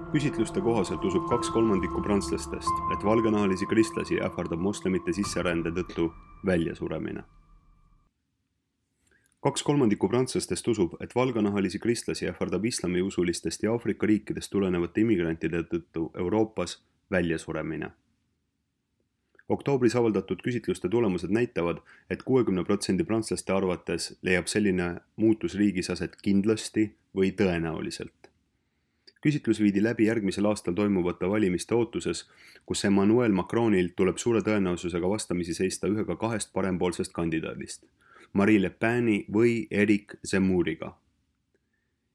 Küsitluste kohaselt usub 2/3 prantslastest, et valgenahalisi kristlasi ähvardab moslemite sisserände tõttu väljasuremine. 2/3 prantslastest usub, et valgenahalisi kristlasi ähvardab islamiusulistest ja Aafrika riikidest tulenevate immigrantide tõttu Euroopas väljasuremine. Oktoobris avaldatud küsitluste tulemused näitavad, et 60% prantslaste arvates leiab selline muutus riigis aset kindlasti või tõenäoliselt. Küsitlus viidi läbi järgmisel aastal toimuvate valimiste ootuses, kus Emmanuel Macronil tuleb suure tõenäosusega vastamisi seista ühega kahest parempoolsest kandidaadist, Marine Le Peni või Eric Zemmouriga.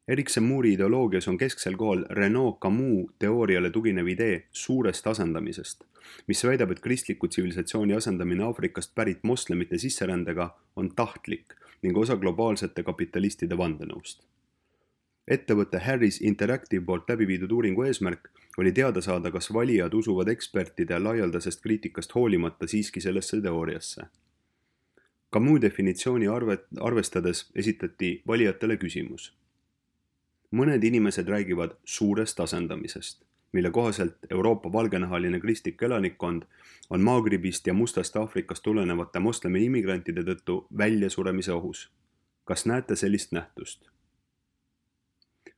Eric Zemmouri ideoloogias on kesksel kohal Renaud Camus teooriale tuginev idee suurest asendamisest, mis väidab, et kristliku tsivilisatsiooni asendamine Aafrikast pärit moslemite sisserändega on tahtlik ning osa globaalsete kapitalistide vandenõust. Ettevõtte Harris Interactive poolt läbi viidud uuringu eesmärk oli teada saada, kas valijad usuvad ekspertide laialdasest kriitikast hoolimata siiski sellesse teooriasse. Camus definitsiooni arvestades esitati valijatele küsimus. Mõned inimesed räägivad suurest asendamisest, mille kohaselt Euroopa valgenahaline kristlik elanikkond on Maagribist ja Mustast Aafrikast tulenevate moslemi immigrantide tõttu väljasuremise ohus. Kas näete sellist nähtust?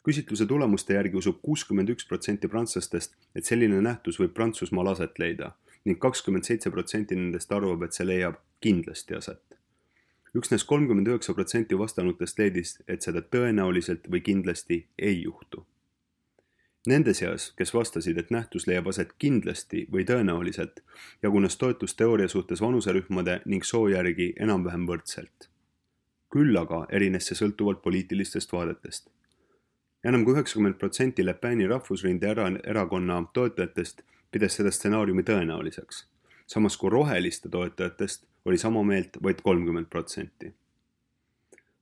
Küsitluse tulemuste järgi usub 61% prantslastest, et selline nähtus võib Prantsusmaal aset leida ning 27% nendest arvab, et see leiab kindlasti aset. Üksnes 39% vastanutest leidis, et seda tõenäoliselt või kindlasti ei juhtu. Nende seas, kes vastasid, et nähtus leiab aset kindlasti või tõenäoliselt, jagunes toetus teooria suhtes vanuserühmade ning soo järgi enam-vähem võrdselt. Küll aga erines see sõltuvalt poliitilistest vaadetest. Enam kui 90% Le Peni rahvusrinde erakonna toetajatest pidas seda stsenaariumi tõenäoliseks, samas kui roheliste toetajatest oli sama meelt vaid 30%.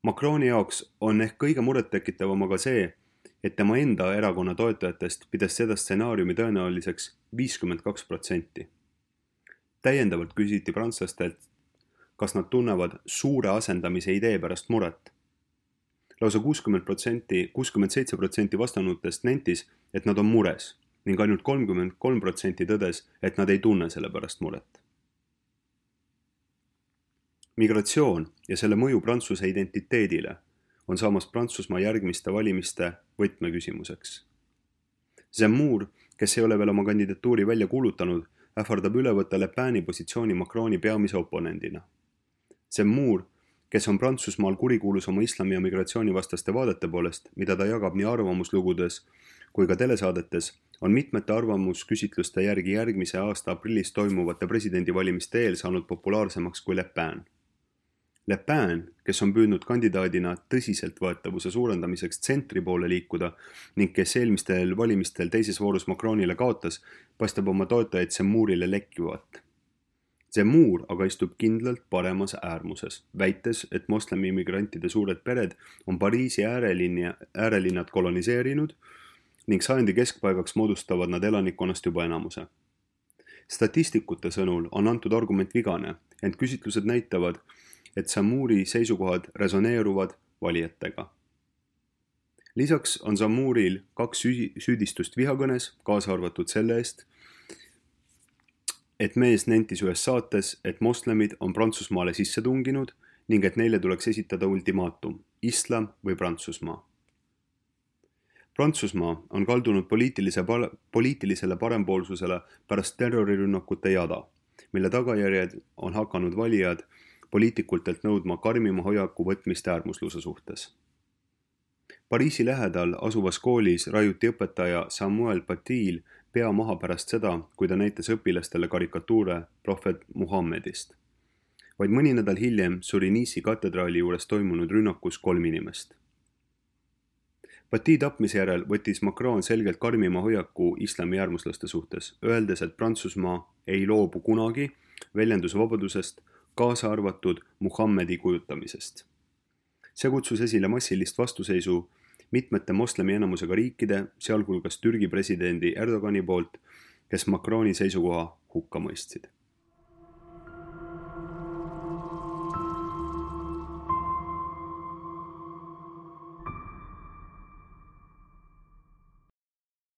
Macroni jaoks on ehk kõige murettekitavam aga see, et tema enda erakonna toetajatest pidas seda stsenaariumi tõenäoliseks 52%. Täiendavalt küsiti prantslastelt, kas nad tunnevad suure asendamise idee pärast muret. Lausa 67% vastanutest nentis, et nad on mures ning ainult 33% tõdes, et nad ei tunne selle pärast muret. Migratsioon ja selle mõju Prantsuse identiteedile on saamas Prantsusmaa järgmiste valimiste võtmeküsimuseks. Zemmour, kes ei ole veel oma kandidatuuri välja kuulutanud, ähvardab üle võtta Le Peni positsiooni Macroni peamise oponendina. Zemmour, kes on Prantsusmaal kurikuulus oma islami ja migratsioonivastaste vaadete poolest, mida ta jagab nii arvamuslugudes kui ka telesaadetes, on mitmete arvamusküsitluste järgi järgmise aasta aprillis toimuvate presidendivalimiste eel saanud populaarsemaks kui Le Pen. Le Pen, kes on püüdnud kandidaadina tõsiseltvõetavuse suurendamiseks tsentri poole liikuda ning kes eelmistel valimistel teises voorus Macronile kaotas, paistab oma toetajaid Zemmourile lekkivat. Zemmour aga istub kindlalt paremas äärmuses, väites, et moslemi immigrantide suured pered on Pariisi äärelinnad koloniseerinud ning sajandi keskpaigaks moodustavad nad elanikkonnast juba enamuse. Statistikute sõnul on antud argument vigane, ent küsitlused näitavad, et Zemmouri seisukohad resoneeruvad valijatega. Lisaks on Zemmouril 2 süüdistust vihakõnes, kaasa arvatud selle eest, et mees nentis ühes saates, et moslemid on Prantsusmaale sisse tunginud ning et neile tuleks esitada ultimaatum, islam või Prantsusmaa. Prantsusmaa on kaldunud poliitilisele parempoolsusele pärast terrorirünnakute jada, mille tagajärjed on hakanud valijad poliitikultelt nõudma karmima hoiaku võtmist äärmusluse suhtes. Pariisi lähedal asuvas koolis raiuti õpetaja Samuel Paty'l pea maha pärast seda, kui ta näitas õpilastele karikatuure prohvet Muhammedist. Vaid mõni nädal hiljem suri Nice'i katedraali juures toimunud rünnakus 3 inimest. Paty tapmise järel võttis Macron selgelt karmima hoiaku islami äärmuslaste suhtes, öeldes, et Prantsusmaa ei loobu kunagi väljendusvabadusest, kaasa arvatud Muhammedi kujutamisest. See kutsus esile massilist vastuseisu mitmete moslemi enamusega riikide, sealhulgas Türgi presidendi Erdogani poolt, kes Macroni seisukoha hukka mõistsid.